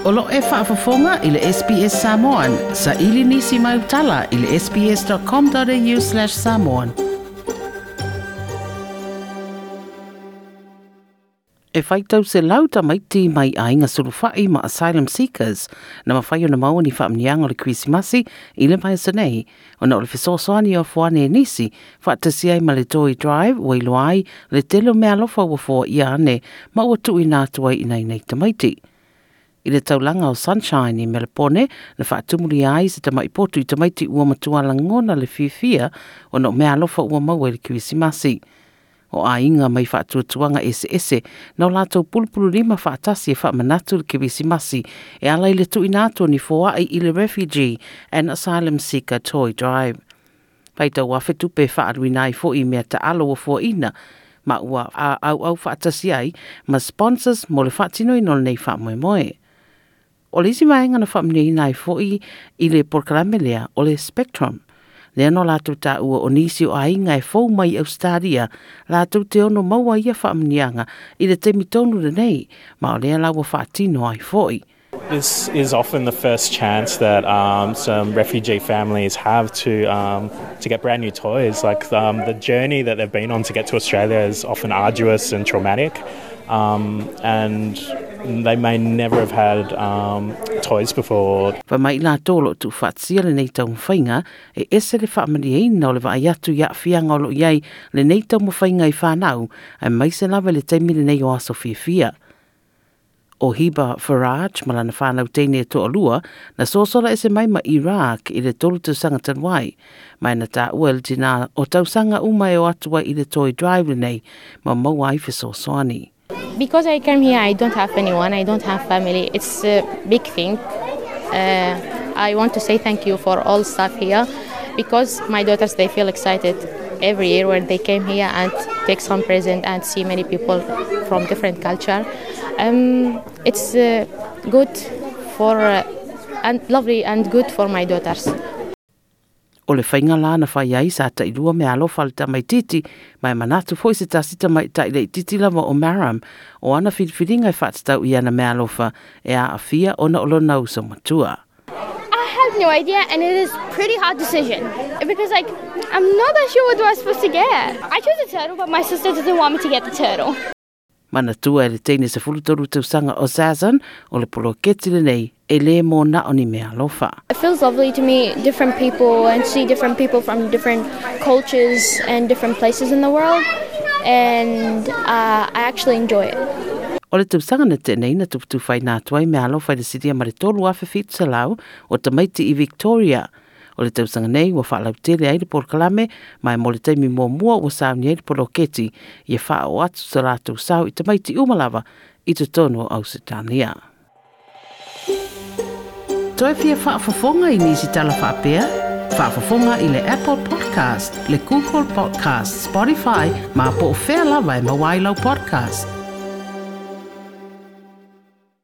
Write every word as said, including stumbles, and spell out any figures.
O lo e faafofoga i le S B S Samoan, sa ili nisi mai utala i le S B S dot com dot A U slash samoan. E faitau selau tamaiti mai aiga sulufai ma asylum seekers na mafai ona maua ni faamanuiaga o le Kerisimasi i le vaiaso nei, ona o le fesoasoani o afuane e nisi faatasi ai ma le Toy Drive ua iloa ai le tele o meaalofa ua foaia ane ma ua tuuina atu ai i nai nei tamaiti. I le taulaga o Sunshine i Melepone na faatumulia ai se tamai potu i tamaiti ua matua lagona le fiafia ona o meaalofa ua maua i le Kerisimasi. O aiga mai faatuatuaga eseese na o latou pulupululima faatasi e faamanatu le Kerisimasi e ala i le tuuina atu o ni foai i le Refugee and Asylum Seeker Toy Drive. Faitau afe tupe faaluina ai fo'i mea taalo ua foaina ma ua auau faatasi ai ma sponsors mo le faatinoina o lenei faamoemoe. O le isi vaega na faamanuiaina ai fo'i i le polokalame lea o le Spectrum. Lea no latou taua o nisi o aiga e fou mai Australia latou te ono maua ia faamanuiaga i le taimi tonu lenei, ma o lea la ua faatino ai fo'i. This is often the first chance that um, some refugee families have to um, to get brand new toys. Like um, the journey that they've been on to get to Australia is often arduous and traumatic, um, and they may never have had um, toys before. Fa mai latou o lo o tuufaatasia lenei taumafaiga e ese le faamanuiaina o le vaai atu i aafiaga o loo i ai lenei taumafaiga i fanau, aemaise lava le taimi lenei o aso fiafia. O Hiba Faraj ma lana whanau teine e toalua na sosola ese mai ma Iraq i le tolu tausaga talu ai. Mai na taua le tina o tausaga uma e o atu ai i le Toy Drive lenei ma maua ai fesoasoani. Because I came here, I don't have anyone, I don't have family. It's a big thing. Uh, I want to say thank you for all staff here because my daughters, they feel excited every year when they came here and take some present and see many people from different culture. Um, it's uh, good for uh, and lovely and good for my daughters. O le faiga la na fai ai sa tailua meaalofa le tamaititi, ma e manatu foi se tasi tamaitai laititi lava o Maram o ana filifiliga e faatatau i ana meaalofa e aafia ona o lona uso matua. I have no idea, and it is pretty hard decision because, like, I'm not that sure what I was supposed to get. I chose a turtle, but my sister doesn't want me to get the turtle. Manatua e le teine sefulu tolu tausaga o Zazan o le poloketi lenei e lē mo na o ni meaalofa. It feels lovely to meet different people and see different people from different cultures and different places in the world, and uh, I actually enjoy it. O le tausaga na tea nei na tufatufaina atu ai meaalofa i le silia ma le tolu afe fitu selau o tamaiti i Victoria. O le tausaga nei ua faalautele ai le polokalame ma e mo le taimi muamua ua sauni ai le poloketi ia faaoo atu sa latou sao i tamaiti uma lava i totonu o Ausetalia. Toe fia faafofoga i nisi tala faapea? Faafofoga i le Apple Podcast, le Google Podcast, Spotify, ma po o fea lava e maua ai lau podcast.